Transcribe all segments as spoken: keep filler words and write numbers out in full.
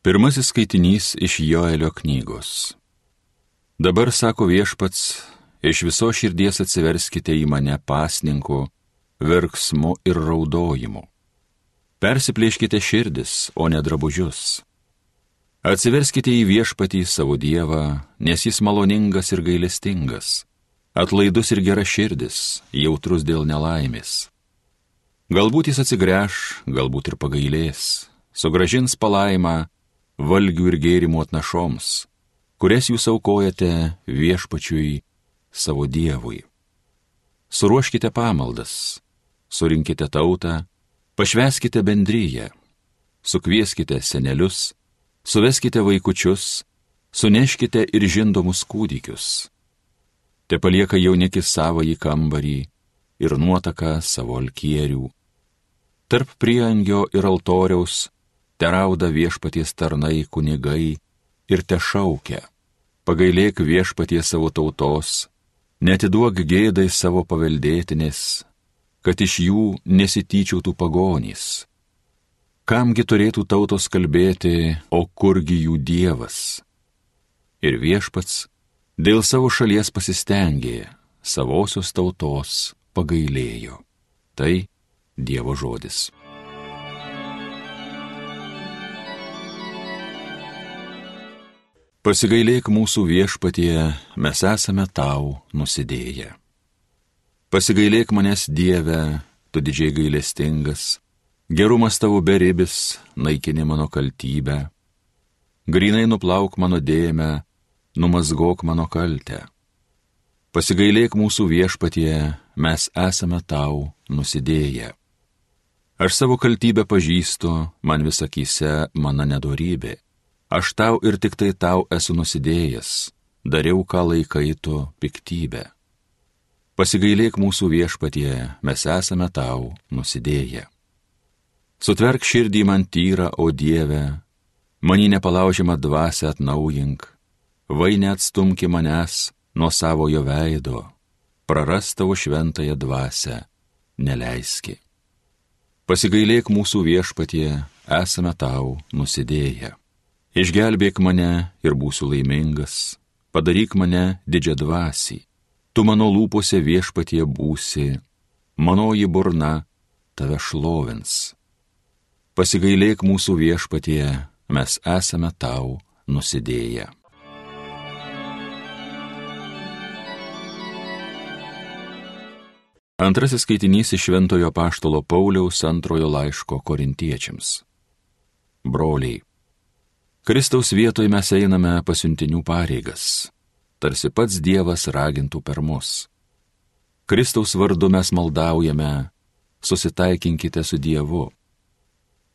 Pirmasis skaitinys iš Joelio knygos. Dabar, sako Viešpats, iš viso širdies atsiverskite į mane pasninku, verksmu ir raudojimu. Persiplėškite širdis, o ne drabužius. Atsiverskite į Viešpatį savo Dievą, nes jis maloningas ir gailestingas, atlaidus ir gera širdis, jautrus dėl nelaimės. Galbūt jis atsigręš, galbūt ir pagailės, sugražins palaimą valgių ir gėrimų atnašoms, kurias jūs aukojate Viešpačiui savo Dievui. Suruoškite pamaldas, surinkite tautą, pašvęskite bendryją, sukvieskite senelius, suveskite vaikučius, suneškite ir žindomus kūdikius. Te palieka jaunikis savąjį kambarį ir nuotaką savo alkierių. Tarp prieangio ir altoriaus terauda Viešpaties tarnai kunigai ir te šaukia: pagailėk Viešpaties savo tautos, netiduok gėdai savo paveldėtinės, kad iš jų nesityčiautų pagonys. Kamgi turėtų tautos kalbėti, o kurgi jų Dievas? Ir Viešpats dėl savo šalies pasistengė, savosios tautos pagailėjo. Tai Dievo žodis. Pasigailėk mūsų Viešpatie, mes esame tau nusidėję. Pasigailėk manęs, Dieve, tu didžiai gailestingas, gerumas tavo beribis, naikini mano kaltybę. Grynai nuplauk mano dėmę, numazgok mano kaltę. Pasigailėk mūsų Viešpatie, mes esame tau nusidėję. Aš savo kaltybę pažįstu, man vis akyse mano nedorybė. Aš tau ir tik tai tau esu nusidėjęs, dariau, ką laikai tu piktybę. Pasigailėk mūsų Viešpatie, mes esame tau nusidėję. Sutverk širdį man tyrą, o Dieve, manį nepalaužiamą dvasią atnaujink, vai neatstumki manęs nuo savojo veido, praras tavo šventąją dvasią neleiski. Pasigailėk mūsų Viešpatie, esame tau nusidėję. Išgelbėk mane ir būsiu laimingas, padaryk mane didžiadvasį. Tu mano lūpose, Viešpatie, būsi, manoji burna tave šlovins. Pasigailėk mūsų Viešpatie, mes esame tau nusidėję. Antrasis skaitinys iš Šventojo Apaštalo Pauliaus antrojo laiško Korintiečiams. Broliai, Kristaus vietoje mes einame pasiuntinių pareigas, tarsi pats Dievas ragintų per mus. Kristaus vardu mes maldaujame, susitaikinkite su Dievu.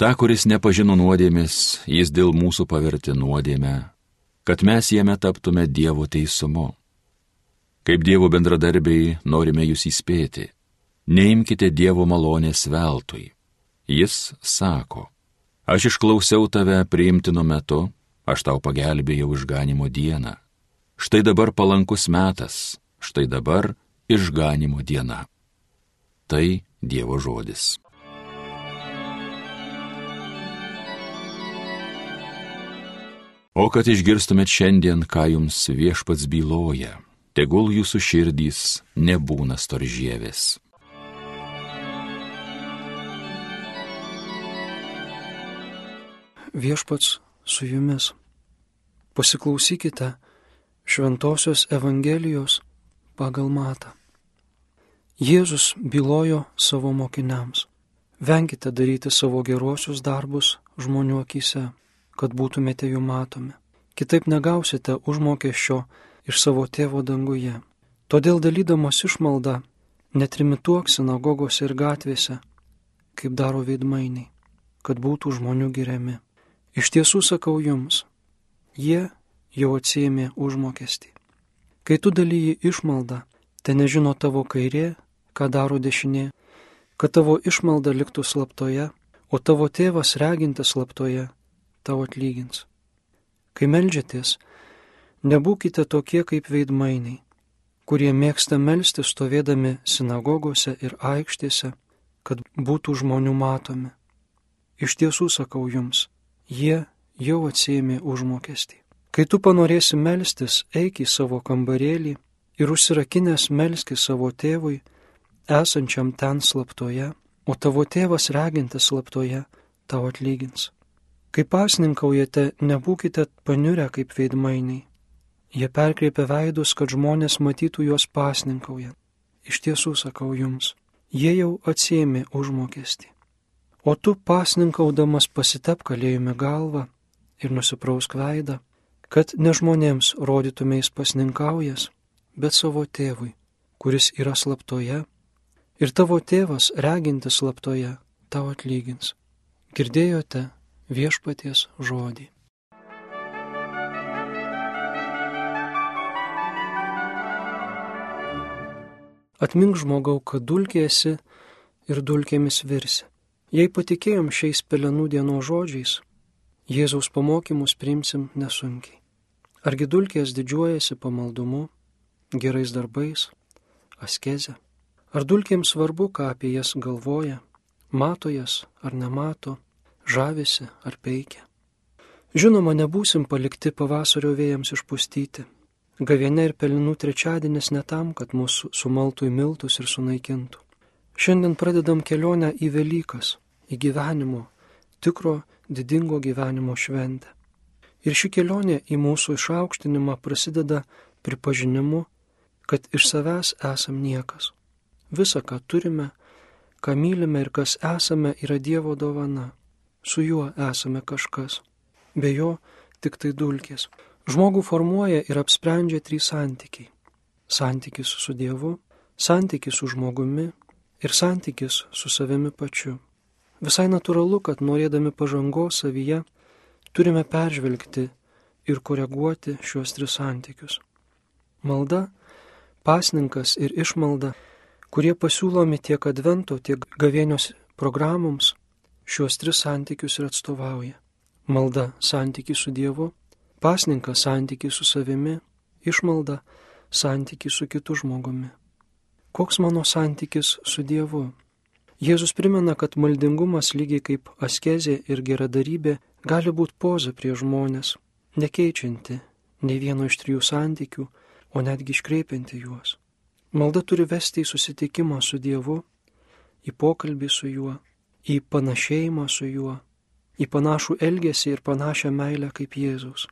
Ta, kuris nepažino nuodėmės, jis dėl mūsų pavertė nuodėmę, kad mes jame taptume Dievo teisumu. Kaip Dievo bendradarbiai norime jūs įspėti, neimkite Dievo malonės veltui. Jis sako: aš išklausiau tave priimtinu metu, aš tau pagelbėjau išganimo dieną. Štai dabar palankus metas, štai dabar išganimo diena. Tai Dievo žodis. O kad išgirstumėt šiandien, ką jums Viešpats byloja, tegul jūsų širdys nebūna storžievės. Viešpats su jumis. Pasiklausykite Šventosios Evangelijos pagal Matą. Jėzus bylojo savo mokiniams: venkite daryti savo geruosius darbus žmonių akyse, kad būtumėte jų matomi. Kitaip negausite užmokesčio iš savo tėvo danguje. Todėl dalydamas išmaldą netrimituok sinagogose ir gatvėse, kaip daro veidmainiai, kad būtų žmonių giriami. Iš tiesų sakau jums, jie jau atsiėmė užmokestį. Kai tu dalyji išmaldą, te nežino tavo kairė, ką daro dešinė, kad tavo išmalda liktų slaptoje, o tavo tėvas regintis slaptoje tau atlygins. Kai meldžiatės, nebūkite tokie kaip veidmainiai, kurie mėgsta melstis stovėdami sinagogose ir aikštėse, kad būtų žmonių matomi. Iš tiesų sakau jums, jie jau atsiėmė užmokestį. Kai tu panorėsi melstis, eik į savo kambarėlį ir užsirakinęs melski savo tėvui, esančiam ten slaptoje, o tavo tėvas regintis slaptoje tau atlygins. Kai pasninkaujate, nebūkite paniurę kaip veidmainiai. Jie perkreipia veidus, kad žmonės matytų juos pasninkaujant. Iš tiesų sakau jums, jie jau atsiėmė užmokestį. O tu pasninkaudamas pasitep kalėjime galvą ir nusiprausk veidą, kad ne žmonėms rodytumės pasninkaujas, bet savo tėvui, kuris yra slaptoje, ir tavo tėvas, regintis slaptoje, tau atlygins. Girdėjote viešpaties žodį. Atmink žmogau, kad dulkė esi ir dulkėmis virsi. Jei patikėjom šiais pelenų dienos žodžiais, Jėzaus pamokymus priimsim nesunkiai. Argi dulkės didžiuojasi pamaldumu, gerais darbais, askeze? Ar dulkėms svarbu, ką apie jas galvoja, mato jas ar nemato, žavisi ar peikia? Žinoma, nebūsim palikti pavasario vėjams išpustyti. Gavėnia ir pelenų trečiadienis ne tam, kad mūsų sumaltų į miltus ir sunaikintų. Šiandien pradedam kelionę į Velykas, į gyvenimo, tikro, didingo gyvenimo šventę. Ir ši kelionė į mūsų išaukštinimą prasideda pripažinimu, kad iš savęs esam niekas. Visa, ką turime, ką mylime ir kas esame, yra Dievo dovana. Su juo esame kažkas. Be jo tik tai dulkės. Žmogų formuoja ir apsprendžia trys santykiai. Santykis su Dievu, santykis su žmogumi ir santykis su savimi pačiu. Visai natūralu, kad norėdami pažangos savyje, turime peržvelgti ir koreguoti šiuos tris santykius. Malda, pasninkas ir išmalda, kurie pasiūlomi tiek advento, tiek gavėnios programoms, šiuos tris santykius ir atstovauja. Malda santykį su Dievu, pasninkas santykį su savimi, išmalda santykį su kitu žmogumi. Koks mano santykis su Dievu? Jėzus primena, kad maldingumas lygiai kaip askezė ir geradarybė gali būti poza prie žmonės, nekeičianti nei vieno iš trijų santykių, o netgi iškreipianti juos. Malda turi vesti į susitikimą su Dievu, į pokalbį su juo, į panašėjimą su juo, į panašų elgesį ir panašią meilę kaip Jėzus.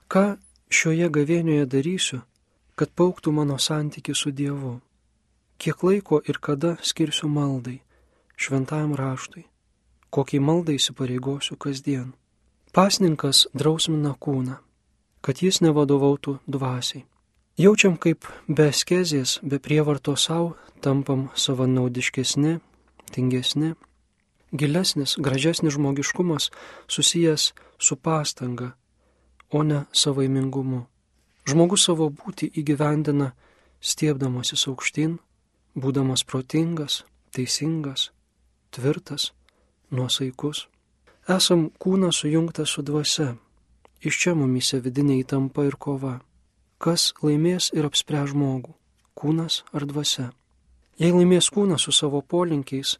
Ką šioje gavėnioje darysiu, kad paaugtų mano santykis su Dievu? Kiek laiko ir kada skirsiu maldai, šventajam raštui? Kokiai maldai įsipareigosiu kasdien? Pasninkas drausmina kūną, kad jis nevadovautų dvasiai. Jaučiam, kaip be askezės, be prievarto savo tampam savanaudiškesni, tingesni. Gilesnis, gražesnis žmogiškumas susijęs su pastanga, o ne savaimingumu. Žmogus savo būtį įgyvendina stiebdamasis aukštyn, būdamas protingas, teisingas, tvirtas, nuosaikus. Esam kūną sujungtą su dvasia. Iš čia mumyse vidinė įtampa ir kova. Kas laimės ir apspręs žmogų, kūnas ar dvasia? Jei laimės kūnas su savo polinkiais,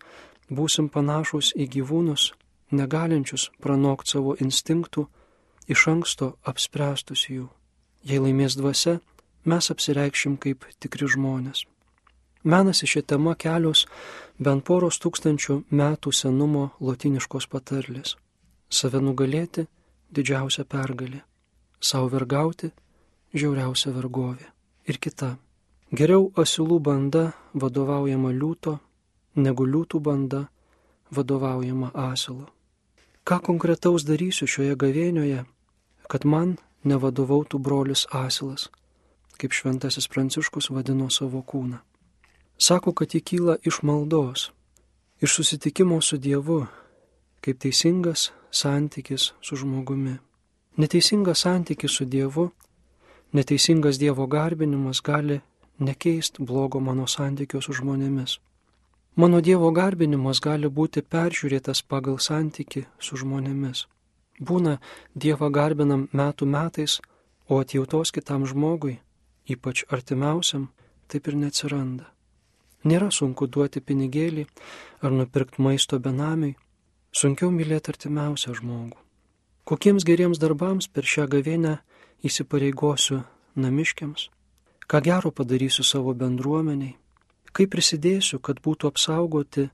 būsim panašus į gyvūnus, negalinčius pranokti savo instinktų, iš anksto apspręstus jų. Jei laimės dvasia, mes apsireikšim kaip tikri žmonės. Menasi šią temą kelios bent poros tūkstančių metų senumo lotyniškos patarlės. Save nugalėti – didžiausia pergalė. Sau vergauti – žiauriausia vergovė. Ir kita. Geriau asilų banda vadovaujama liūto, negu liūtų banda vadovaujama asilo. Ką konkretaus darysiu šioje gavėnioje, kad man nevadovautų brolis asilas, kaip šventasis Pranciškus vadino savo kūną? Sako, kad jį kyla iš maldos, iš susitikimo su Dievu, kaip teisingas santykis su žmogumi. Neteisingas santykis su Dievu, neteisingas Dievo garbinimas gali nekeisti blogo mano santykio su žmonėmis. Mano Dievo garbinimas gali būti peržiūrėtas pagal santykį su žmonėmis. Būna Dievą garbinam metų metais, o atjautos kitam žmogui, ypač artimiausiam, taip ir neatsiranda. Nėra sunku duoti pinigėlį ar nupirkti maisto benamiui, sunkiau mylėti artimiausią žmogų. Kokiems geriems darbams per šią gavėnią įsipareigosiu namiškiams, ką gero padarysiu savo bendruomeniai, kaip prisidėsiu, kad būtų apsaugoti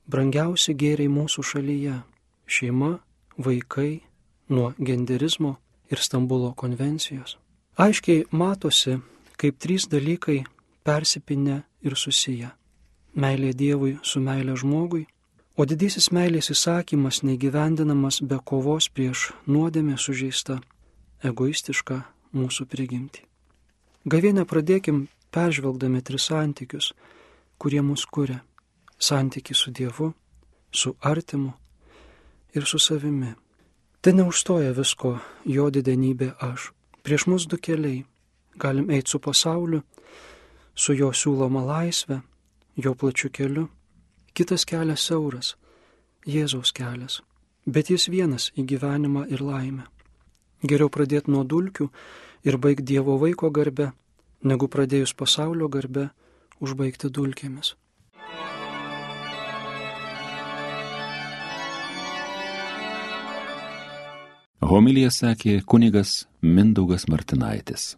brangiausi gėriai mūsų šalyje - šeima, vaikai, nuo genderizmo ir Stambulo konvencijos. Aiškiai matosi, kaip trys dalykai persipinę ir susiję. Meilė Dievui su meilė žmogui, o didysis meilės įsakymas neįgyvendinamas be kovos prieš nuodėmę sužeistą, egoistišką mūsų prigimtį. Gavėnią pradėkim peržvelgdami tris santykius, kurie mus kuria. Santykį su Dievu, su artimu ir su savimi. Tai neužstoja visko jo didenybė aš. Prieš mus du keliai. Galim eiti su pasauliu, su jo siūloma laisvė, jo plačiu keliu. Kitas kelias siauras, Jėzaus kelias, bet jis vienas į gyvenimą ir laimę. Geriau pradėti nuo dulkių ir baigti Dievo vaiko garbe, negu pradėjus pasaulio garbe užbaigti dulkėmis. Homiliją sakė kunigas Mindaugas Martinaitis.